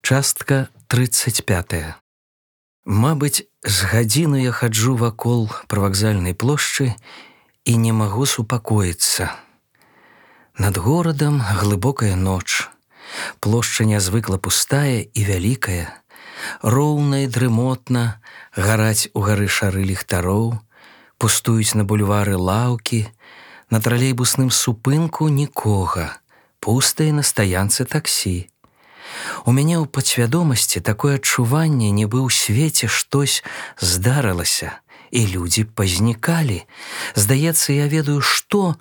Частка 35. Мабыць, з гадзіну я хаджу вакол прывакзальнай плошчы і не магу супакоіцца. Над горадам глыбокая ноч. Плошча нязвыкла пустая і вялікая. Роўна і дрымотна гараць угары шары ліхтароў, пустуюць на бульвары лаўкі, на тралейбусным супынку нікога, пуста і на стаянцы таксі. У мяне ў падсвядомасці такое адчуванне, нібы ў свеце штось здарылася, і людзі пазнікалі. Здаецца, я ведаю, што,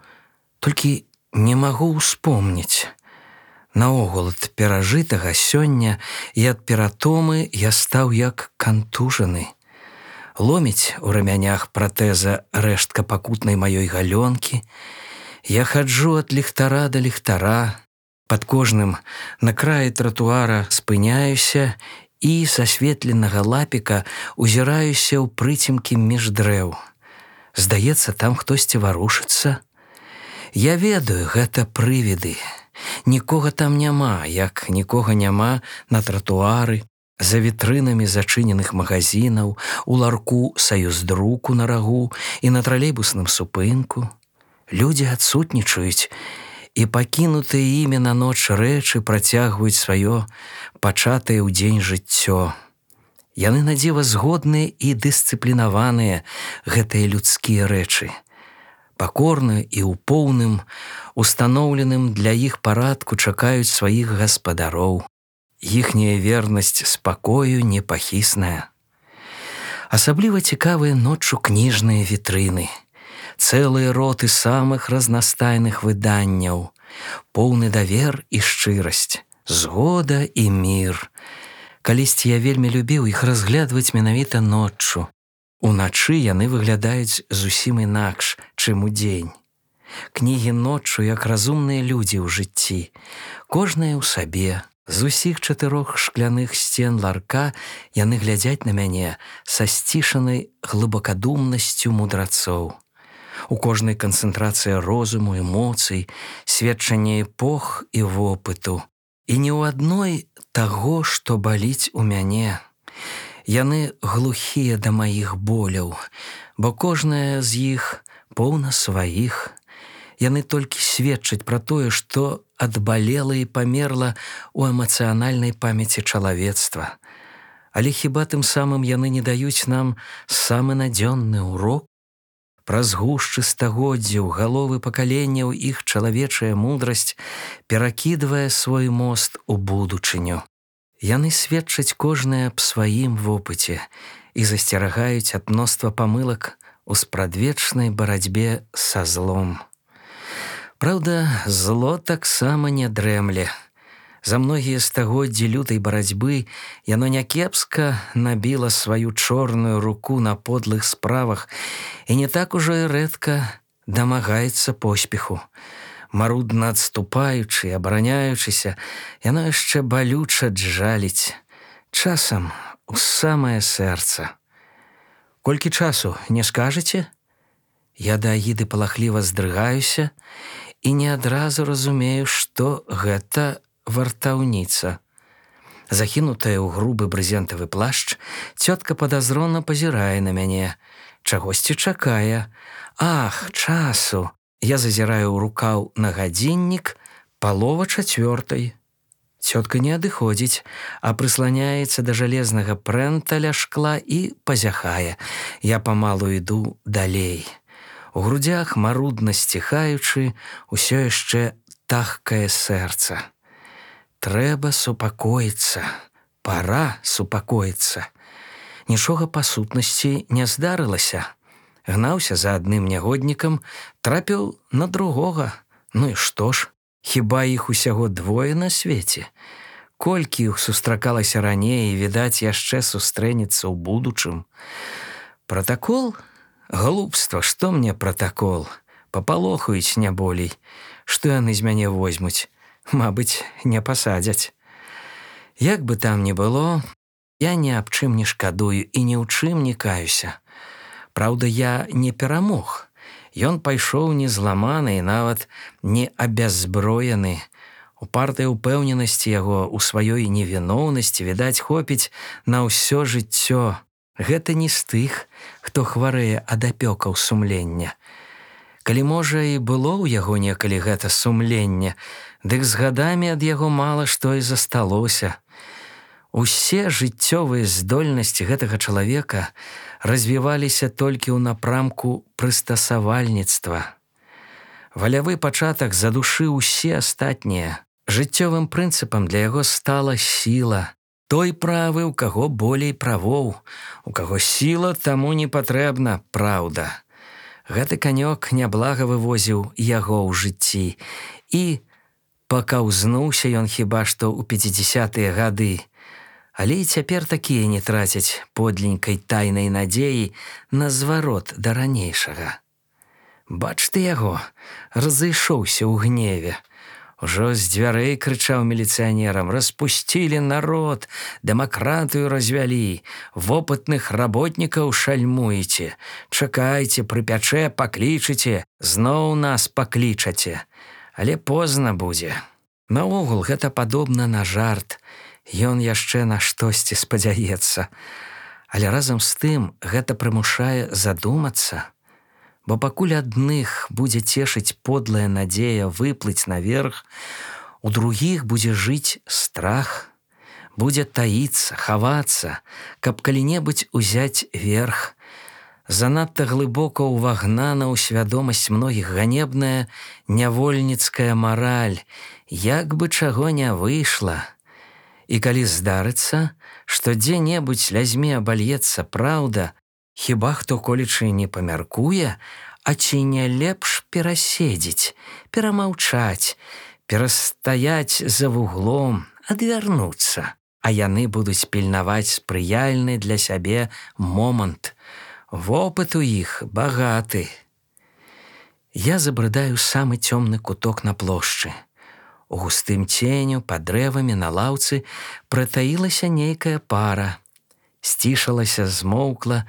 толькі не магу ўспомніць. Наогул ад перажытага сёння і ад ператомы я стаў як кантужаны. Ломіць у рамянях пратэза рэштка пакутнай маёй галёнкі. Я хаджу ад ліхтара да ліхтара. Пад кожным на краі тратуара спыняюся і са асветленага лапіка узіраюся ў прыцемкі між дрэў. Здаецца, там хтосьці варушыцца. Я ведаю, гэта прывіды. Нікога там няма, як нікога няма на тратуары, за вітрынамі зачыненых магазінаў, у ларку саюздруку на рагу і на тралейбусным супынку. Людзі адсутнічаюць, і пакінутыя імі на ноч рэчы працягваюць сваё пачатае ў дзень жыццё. Яны надзіва згодныя і дысцыплінаваныя, гэтыя людскія рэчы. Пакорна і ў поўным, устаноўленым для іх парадку чакаюць сваіх гаспадароў. Іхняя вернасць спакою непахісная. Асабліва цікавыя ноччу кніжныя вітрыны. Цэлыя роты самых разнастайных выданняў, поўны давер і шчырасць, згода і мір. Калісьці я вельмі любіў іх разглядваць менавіта ноччу. Уначы яны выглядаюць зусім інакш, чым удзень. Кнігі ноччу як разумныя людзі ў жыцці, кожная ў сабе. З усіх 4 шкляных сцен ларка яны глядзяць на мяне са сцішанай глыбакадумнасцю мудрацоў. У кожнай канцэнтрацыя розуму, эмоцый, сведчанне эпох і вопыту. І ні ў адной таго, што баліць у мяне. Яны глухія да маіх боляў, бо кожная з іх поўна сваіх. Яны толькі сведчаць пра тое, што адбалела і памерла ў эмацыянальнай памяці чалавецтва. Але хіба тым самым яны не даюць нам самы надзённы урок? Праз гушчы стагоддзяў галовы пакаленняў іх чалавечая мудрасць перакідвае свой мост у будучыню. Яны сведчаць кожнае аб сваім вопыце і засцерагаюць ад мноства памылак у спрадвечнай барацьбе са злом. Праўда, зло таксама не дрэмле. За многія стагоддзі лютай барацьбы яно някепска набіла сваю чорную руку на подлых справах і не так ужо і рэдка дамагаецца поспеху. Марудна адступаючы, абараняючыся, яно яшчэ балюча джаліць, часам у самае сэрца. Колькі часу, не скажаце? Я да агіды палахліва здрыгаюся і не адразу разумею, што гэта вартаўніца. Захінутая ў грубы брызентавы плашч, цётка падазрона пазірае на мяне. Чагосьці чакае. Ах, часу! Я зазіраю ў рукаў на гадзіннік, 3:30. Цётка не адыходзіць, а прысланяецца да жалезнага прэнта ля шкла і пазяхае. Я памалу іду далей. У грудзях, марудна сціхаючы, усё яшчэ тахкае сэрца. Трэба супакоіцца, пара супакоіцца. Нічога па сутнасці не здарылася. Гнаўся за адным нягоднікам, трапіў на другога. Ну і што ж, хіба іх усяго 2 на свеце? Колькі іх сустракалася раней і, відаць, яшчэ сустрэнецца ў будучым. Пратакол? Глупства, што мне пратакол? Папалохаюць не болей. Што яны з мяне возьмуць? Мабыць, не пасадзяць. Як бы там ні было, я ні аб чым не шкадую і ні ў чым не каюся. Праўда, я не перамог. Ён пайшоў не зламаны і нават не абяззброены. Упартая ўпэўненасці яго ў сваёй невіноўнасці, відаць, хопіць на ўсё жыццё. Гэта не з тых, хто хварэе ад апёкаў сумлення. Калі, можа, і было ў яго некалі гэта сумленне, дык з гадамі ад яго мала што і засталося. Усе жыццёвыя здольнасці гэтага чалавека развіваліся толькі ў напрамку прыстасавальніцтва. Валявы пачатак задушыў усе астатнія. Жыццёвым прынцыпам для яго стала сіла. Той правы, у каго болей правоў, у каго сіла, таму не патрэбна праўда. Гэты канёк няблага вывозіў яго ў жыцці, і пакаўзнуўся ён хіба што ў 50-тыя гады. Але і цяпер такія не трацяць подленькай тайнай надзеі на зварот да ранейшага. Бач ты яго, разышоўся ў гневе. Ужо з дзвярэй крычаў міліцыянерам: «Распусцілі народ, дэмакратыю развялі, вопытных работнікаў шальмуеце. Чакайце, прыпячэ, паклічыце, зноў нас паклічаце. Але позна будзе». Наогул гэта падобна на жарт. Ён яшчэ на штосьці спадзяецца. Але разам з тым гэта прымушае задумацца. Бо пакуль адных будзе цешыць подлая надзея выплыць наверх, у другіх будзе жыць страх, будзе таіцца, хавацца, каб калі-небудзь узяць верх. Занадта глыбока ўвагнана ў свядомасць многіх ганебная нявольніцкая мараль, як бы чаго не выйшла. І калі здарыцца, што дзе-небудзь лязьме абальецца праўда, хіба хто колечы не памяркуе, а ці не лепш пераседзець, перамаўчаць, перастаяць за вуглом, адвярнуцца, а яны будуць пільнаваць спрыяльны для сябе момант. Вопыт у іх багаты. Я забрыдаю самы цёмны куток на плошчы. У густым ценю, пад дрэвамі, на лаўцы прытаілася нейкая пара. Сцішалася, змоўкла,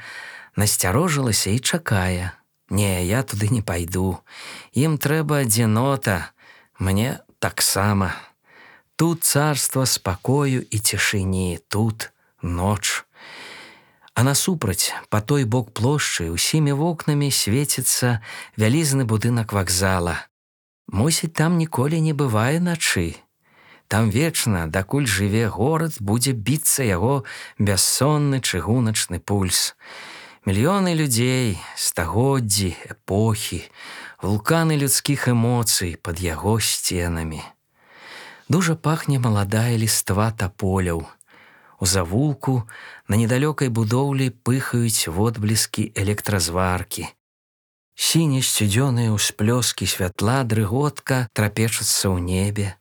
насцярожылася і чакае. Не, я туды не пайду. Ім трэба адзінота, мне таксама. Тут царства спакою і цішыні, тут ноч. А насупраць, па той бок плошчы, усімі вокнамі свеціцца вялізны будынак вакзала. Мусіць, там ніколі не бывае начы. Там вечна, дакуль жыве горад, будзе біцца яго бяссонны чыгуначны пульс. Мільёны людзей, стагоддзі, эпохі, вулканы людскіх эмоцый пад яго сценамі. Дужа пахне маладая ліства таполяў. У завулку на недалёкай будоўлі пыхаюць водбліскі электразваркі. Сіне-сцюдзёныя ўсплёскі святла дрыготка трапечуцца ў небе.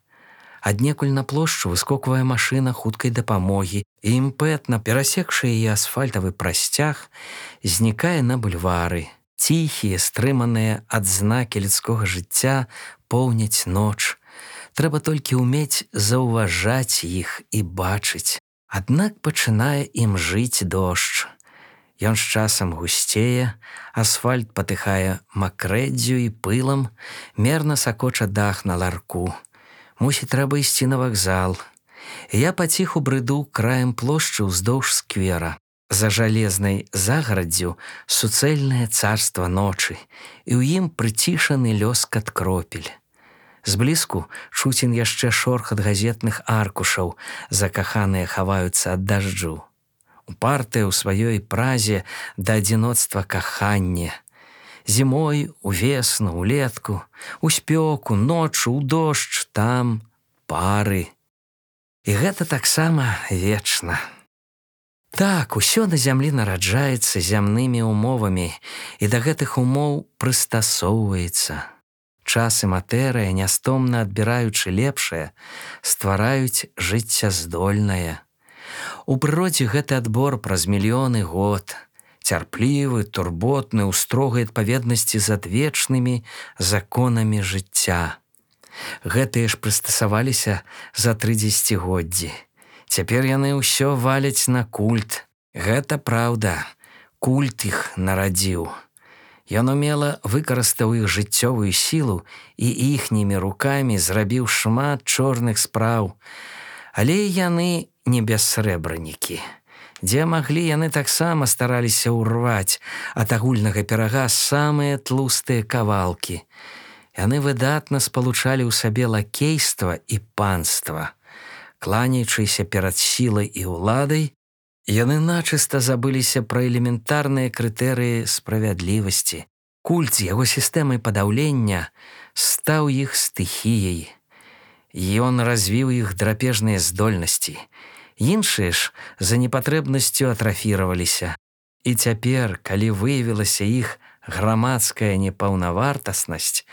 Аднекуль на плошчу выскоквае машына хуткай дапамогі, і імпэтна, перасекшы яе асфальтавы прасцяг, знікае на бульвары. Ціхія, стрыманыя адзнакі людскога жыцця поўняць ноч. Трэба толькі ўмець заўважаць іх і бачыць. Аднак пачынае ім жыць дождж. Ён з часам гусцее, асфальт патыхае макрэддзю і пылам, мерна сакоча дах на ларку. Мусіць, трэба ісці на вакзал. Я паціху брыду краем плошчы ўздоўж сквера. За жалезнай загараддзю суцэльнае царства ночы, і ў ім прыцішаны лёскат кропель. Зблізку чуцін яшчэ шорхат газетных аркушаў, закаханыя хаваюцца ад дажджу. Упартае ў сваёй празе да адзіноцтва каханне. Зімой, увесну, улетку, у спёку, ноччу, у дождж, там пары. І гэта таксама вечна. Так, усё на зямлі нараджаецца зямнымі умовамі і да гэтых умоў прыстасоўваецца. Час і матэрыя, нястомна адбіраючы лепшае, ствараюць жыццяздольнае. У прыродзе гэты адбор праз мільёны год. Цярплівы, турботны, у строгай адпаведнасці з адвечнымі законамі жыцця. Гэтыя ж прыстасаваліся за 3 дзесяцігоддзі. Цяпер яны ўсё валяць на культ. Гэта праўда, культ іх нарадзіў. Ён умела выкарыстаў іх жыццёвую сілу і іхнімі рукамі зрабіў шмат чорных спраў. Але яны не бяссрэбранікі. Дзе маглі, яны таксама стараліся ўрваць ад агульнага пірага самыя тлустыя кавалкі. Яны выдатна спалучалі ў сабе лакейства і панства. Кланяючыся перад сілай і ўладай, яны начыста забыліся пра элементарныя крытэрыі справядлівасці. Культ з яго сістэмай падаўлення стаў іх стыхіяй. Ён развіў іх драпежныя здольнасці. Іншыя ж за непатрэбнасцю атрафіраваліся. І цяпер, калі выявілася іх грамадская непаўнавартаснасць,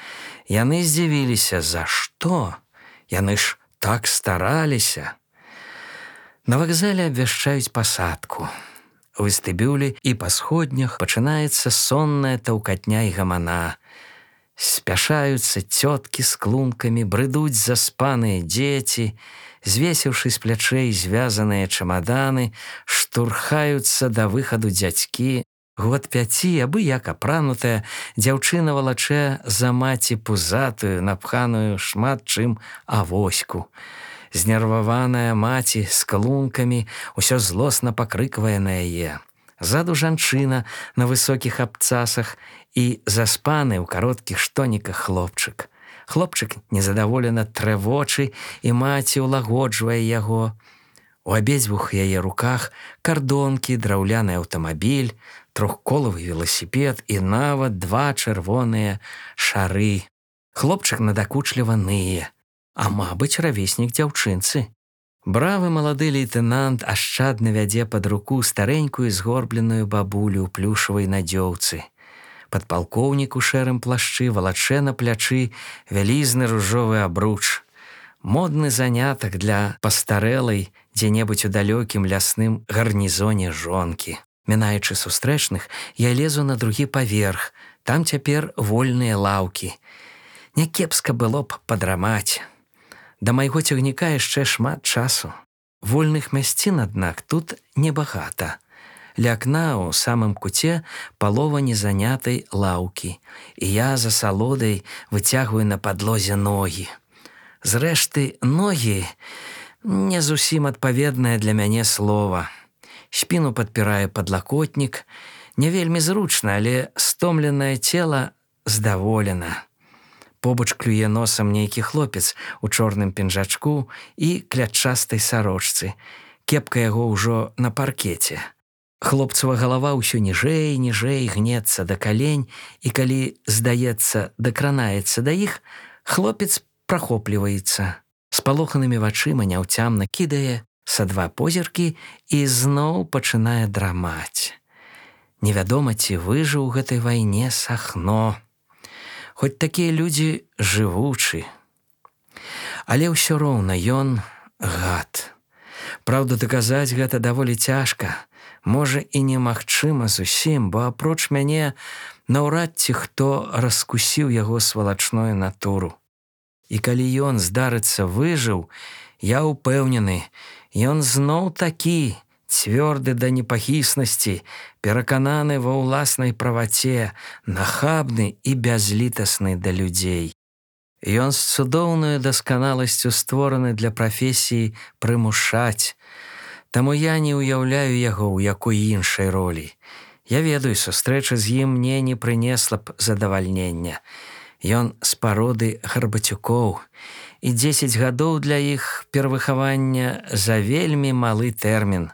яны здзівіліся, за што? Яны ж так стараліся. На вакзале абвяшчаюць пасадку. У вестыбюлі і па сходнях пачынаецца сонная таўкатня і гамана. Спяшаюцца цёткі з клункамі, брыдуць заспаныя дзеці, звесіўшы з плячэй звязаныя чамаданы, штурхаюцца да выхаду дзядзькі. Год 5, абы як апранутая, дзяўчына валачэ за маці пузатую, напханую шмат чым авоську. Знерваваная маці з клункамі ўсё злосна пакрыквае на яе. Ззаду жанчына на высокіх абцасах і заспаны ў кароткіх штоніках хлопчык. Хлопчык незадаволена трэ вочы, і маці ўлагоджвае яго. У абедзвюх яе руках кардонкі, драўляны аўтамабіль, трохколавы веласіпед і нават 2 чырвоныя шары. Хлопчык надакучліва ные, а мабыць, равеснік дзяўчынцы. Бравы малады лейтэнант ашчадна вядзе пад руку старэнькую згорбленую бабулю ў плюшавай надзёўцы. Падпалкоўнік у шэрым плашчы валачэ на плячы вялізны ружовы абруч. Модны занятак для пастарэлай дзе-небудзь у далёкім лясным гарнізоне жонкі. Мінаючы сустрэчных, я лезу на другі паверх. Там цяпер вольныя лаўкі. Някепска было б падрамаць. Да майго цягніка яшчэ шмат часу. Вольных мясцін, аднак, тут небагата. Ля акна ў самым куце палова незанятай лаўкі, і я за салодай выцягваю на падлозе ногі. Зрэшты, ногі не зусім адпаведнае для мяне слова. Спіну падпірае падлакотнік. Не вельмі зручна, але стомленае цела здаволена. Побач клюе носам нейкі хлопец у чорным пінжачку і клятчастай сарочцы. Кепка яго ўжо на паркеце. Хлопцава галава ўсё ніжэй, ніжэй гнецца да калень, і калі, здаецца, дакранаецца да іх, хлопец прахопліваецца. Спалоханымі вачыма няўцямна кідае са 2 позіркі і зноў пачынае драмаць. Невядома, ці выжыў у гэтай вайне Сахно. Хоць такія людзі жывучы. Але ўсё роўна ён гад. Праўда, даказаць гэта даволі цяжка. Можа, і немагчыма зусім, бо апроч мяне наўрад ці хто раскусіў яго свалачную натуру. І калі ён, здарыцца, выжыў, я ўпэўнены, ён зноў такі, цвёрды да непахіснасці, перакананы ва ўласнай праваце, нахабны і бязлітасны да людзей. Ён з цудоўнаю дасканаласцю створаны для прафесіі прымушаць. Таму я не ўяўляю яго ў якой іншай ролі. Я ведаю, сустрэча з ім мне не прынесла б задавальнення. Ён з пароды Гарбацюкоў, і 10 гадоў для іх перавыхавання за вельмі малы тэрмін.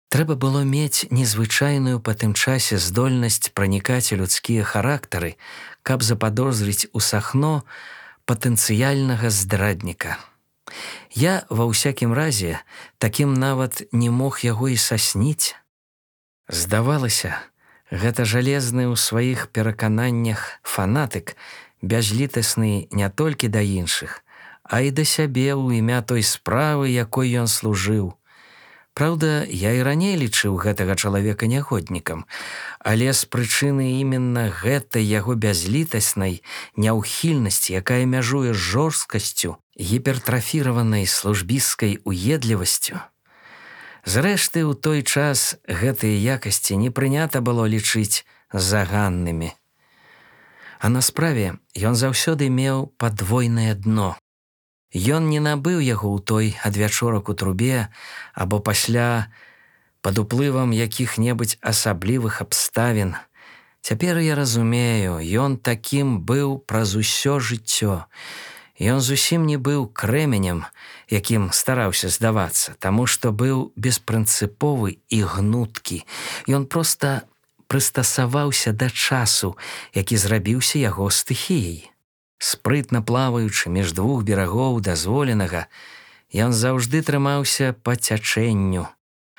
Трэба было мець незвычайную па тым часе здольнасць пранікаць у людскія характары, каб западозрыць у Сахно патэнцыяльнага здрадніка. Я, ва ўсякім разе, такім нават не мог яго і сасніць. Здавалася, гэта жалезны ў сваіх перакананнях фанатык, бязлітасны не толькі да іншых, а і да сябе ў імя той справы, якой ён служыў. Праўда, я і раней лічыў гэтага чалавека нягоднікам, але з прычыны іменна гэтай яго бязлітаснай няўхільнасці, якая мяжуе з жорсткасцю, гіпертрафіраванай службісцкай уедлівасцю. Зрэшты, у той час гэтыя якасці не прынята было лічыць заганнымі. А на справе ён заўсёды меў падвойнае дно. Ён не набыў яго ў той адвячорак у трубе або пасля пад уплывам якіх-небудзь асаблівых абставін. Цяпер я разумею, ён такім быў праз усё жыццё. Ён зусім не быў крэменем, якім стараўся здавацца, таму што быў беспрынцыповы і гнуткі. Ён проста прыстасаваўся да часу, які зрабіўся яго стыхіяй. Спрытна плаваючы між двух берагоў дазволенага, ён заўжды трымаўся па цячэнню.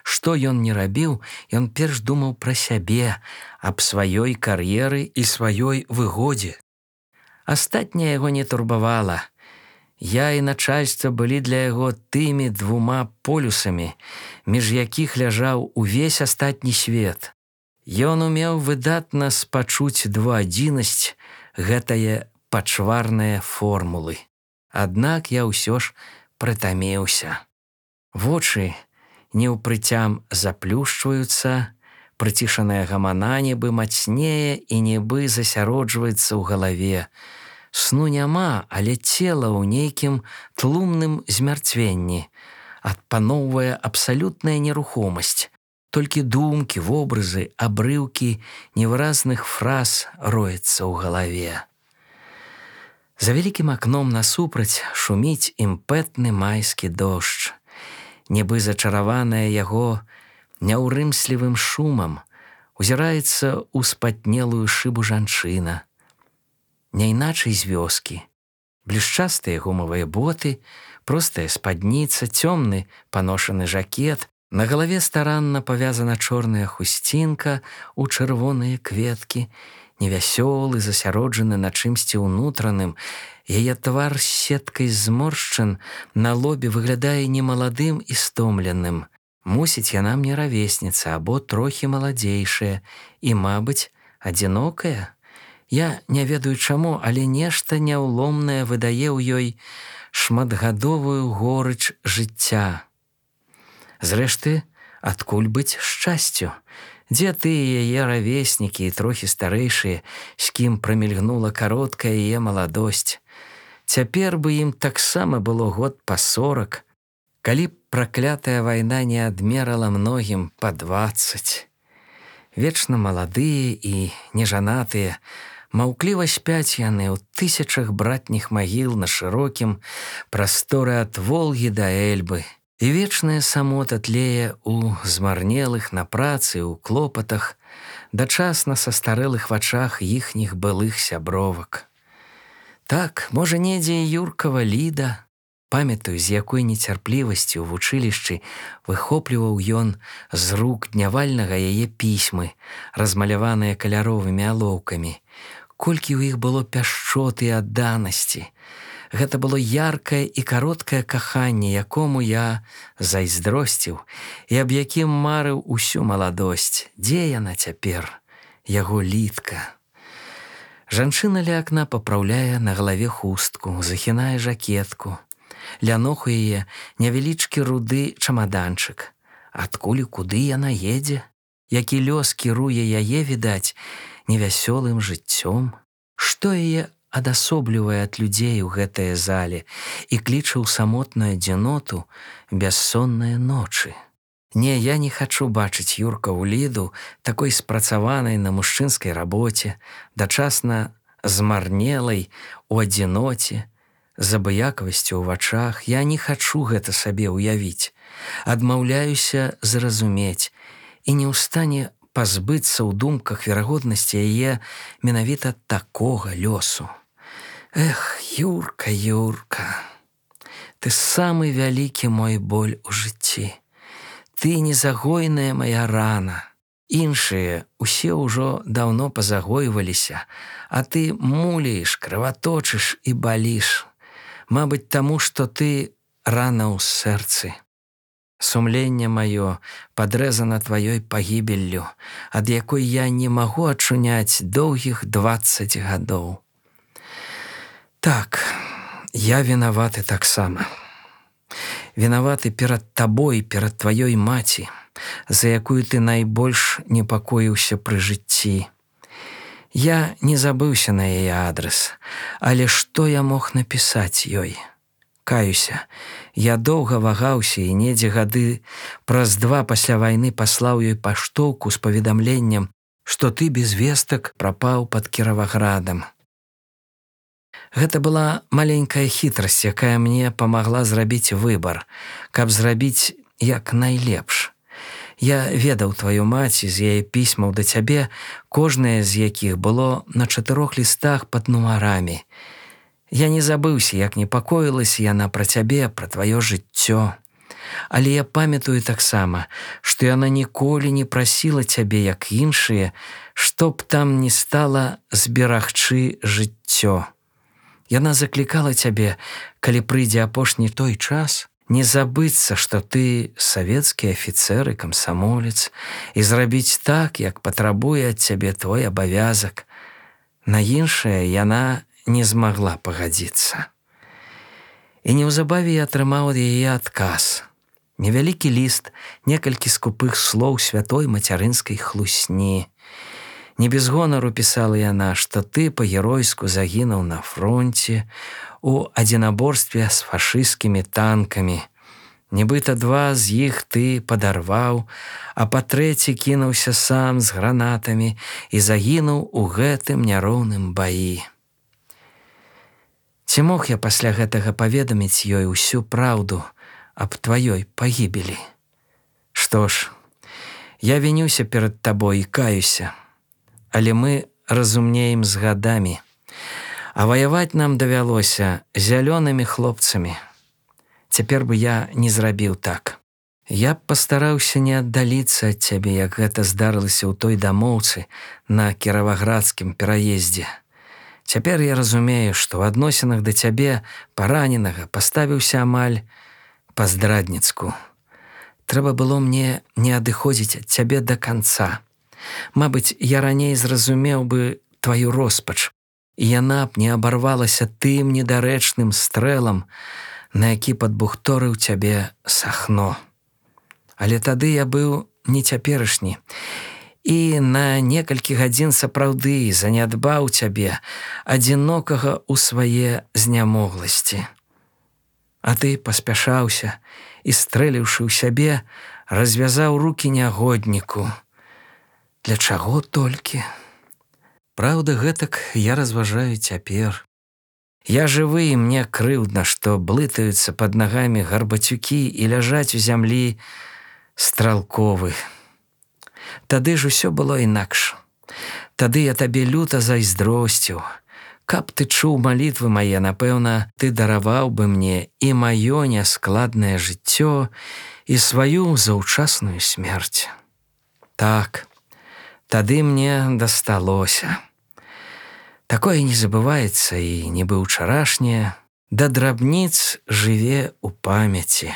Што ён не рабіў, ён перш думаў пра сябе, аб сваёй кар'еры і сваёй выгодзе. Астатняе яго не турбавала. Я і начальства былі для яго тымі двума полюсамі, між якіх ляжаў увесь астатні свет. Ён умеў выдатна спачуць двуадзінасць, гэтае пачварныя формулы. Аднак я ўсё ж прытаміўся. Вочы неўпрыцям заплюшчваюцца, прыцішаная гамана нібы мацнее і нібы засяроджваецца ў галаве. Сну няма, але цела ў нейкім тлумным змярцвенні. Адпаноўвае абсалютная нерухомасць. Толькі думкі, вобразы, абрыўкі невыразных фраз роецца ў галаве. За вялікім акном насупраць шуміць імпэтны майскі дождж. Нібы зачараваная яго няўрымслівым шумам, узіраецца ў спатнелую шыбу жанчына. Няйначай з вёскі. Блішчастыя гумавыя боты, простая спадніца, цёмны паношаны жакет, на галаве старанна павязана чорная хусцінка ў чырвоныя кветкі, невясёлы, засяроджаны на чымсьці ўнутраным. Яе твар з сеткай зморшчын на лобе выглядае немаладым і стомленым. Мусіць, яна мне равесніца або трохі маладзейшая і, мабыць, адзінокая. Я не ведаю чаму, але нешта няўломнае выдае ў ёй шматгадовую горыч жыцця. Зрэшты, адкуль быць шчасцю? Дзе тыя яе равеснікі і трохі старэйшыя, з кім прамільгнула кароткая яе маладосць? Цяпер бы ім таксама было год па 40, калі б праклятая вайна не адмерала многім па 20. Вечна маладыя і нежанатыя, маўкліва спяць яны ў тысячах братніх магіл на шырокім прасторы ад Волгі да Эльбы. І вечная самота тлее ў змарнелых на працы, ў клопатах, дачасна са старэлых вачах іхніх былых сябровак. Так, можа, недзе і Юркава Ліда. Памятаю, з якой нецярплівасцю ў вучылішчы выхопліваў ён з рук днявальнага яе пісьмы, размаляваныя каляровымі алоўкамі. Колькі ў іх было пяшчоты і адданасці. Гэта было яркае і кароткае каханне, якому я зайздросціў і аб якім марыў усю маладосць. Дзе яна цяпер? Яго Лідка. Жанчына ля акна папраўляе на галаве хустку, захінае жакетку. Ля ног у яе невялічкі руды чамаданчык. Адкуль і куды яна едзе? Які лёс кіруе яе, відаць, невясёлым жыццём? Што яе адасоблівае ад людзей у гэтае зале і кліча ў самотную адзіноту бяссонныя ночы? Не, я не хачу бачыць Юркаву Ліду такой спрацаванай на мужчынскай рабоце, дачасна змарнелай у адзіноце, з абыякавасцю ў вачах. Я не хачу гэта сабе ўявіць. Адмаўляюся зразумець і не ў стане пазбыцца ў думках верагоднасці яе менавіта такога лёсу. Эх, Юрка, Юрка, ты самы вялікі мой боль у жыцці. Ты незагойная моя рана. Іншыя усе ўжо даўно пазагойваліся, а ты муліш, крываточыш і баліш. Мабыць, таму, што ты рана ў сэрцы. Сумленне маё падрэзана тваёй пагібеллю, ад якой я не магу ачуняць доўгіх 20 гадоў. Так, я вінаваты таксама. Вінаваты перад табой, перад тваёй маці, за якую ты найбольш непакоіўся пры жыцці. Я не забыўся на яе адрес, але што я мог напісаць ёй? Каюся, я доўга вагаўся і недзе гады праз 2 пасля вайны паслаў ёй паштоўку з паведамленнем, што ты без вестак прапаў пад Кіраваградам. Гэта была маленькая хітрасць, якая мне памагла зрабіць выбар, каб зрабіць як найлепш. Я ведаў тваю маці з яе пісьмаў да цябе, кожнае з якіх было на 4 лістах пад нумарамі. Я не забыўся, як непакоілася яна пра цябе, пра тваё жыццё. Але я памятаю таксама, што яна ніколі не прасіла цябе, як іншыя, што б там ні стала зберагчы жыццё. Яна заклікала цябе, калі прыйдзе апошні той час, не забыцца, што ты савецкі афіцэр і камсамолец, і зрабіць так, як патрабуе ад цябе твой абавязак. На іншае яна не змагла пагадзіцца. І неўзабаве я атрымаў ад яе адказ. Невялікі ліст, некалькі скупых слоў святой мацярынскай хлусні. Не без гонару пісала яна, што ты па-геройску загінуў на фронце у адзінаборстве з фашысцкімі танкамі. Нібыта 2 з іх ты падарваў, а па-трэці кінуўся сам з гранатамі і загінуў у гэтым няроўным баі. Ці мог я пасля гэтага паведаміць ёй усю праўду аб тваёй пагібелі? Што ж, я вінюся перад табой і каюся, але мы разумнеем з гадамі, а ваяваць нам давялося зялёнымі хлопцамі. Цяпер бы я не зрабіў так. Я б пастараўся не аддаліцца ад цябе, як гэта здарылася ў той дамоўцы на Кіраваградскім пераездзе. Цяпер я разумею, што ў адносінах да цябе, параненага, паставіўся амаль па-здрадніцку. Трэба было мне не адыходзіць ад цябе да канца. Мабыць, я раней зразумеў бы тваю роспач, і яна б не абарвалася тым недарэчным стрэлам, на які падбухторыў цябе Сахно. Але тады я быў не цяперашні, і на некалькі гадзін сапраўды занядбаў цябе, адзінокага ў свае знямогласці. А ты паспяшаўся і, стрэліўшы ў сябе, развязаў рукі нягодніку. Для чаго толькі? Праўда, гэтак я разважаю цяпер. Я жывы, і мне крыўдна, што блытаюцца пад нагамі гарбацюкі і ляжаць у зямлі стралковы. Тады ж усё было інакш. Тады я табе люта зайздросціў. Каб ты чуў малітвы мае, напэўна, ты дараваў бы мне і маё няскладнае жыццё, і сваю заўчасную смерць. Так, тады мне дасталося. Такое не забываецца і нібы ўчарашняе, да драбніц жыве ў памяці.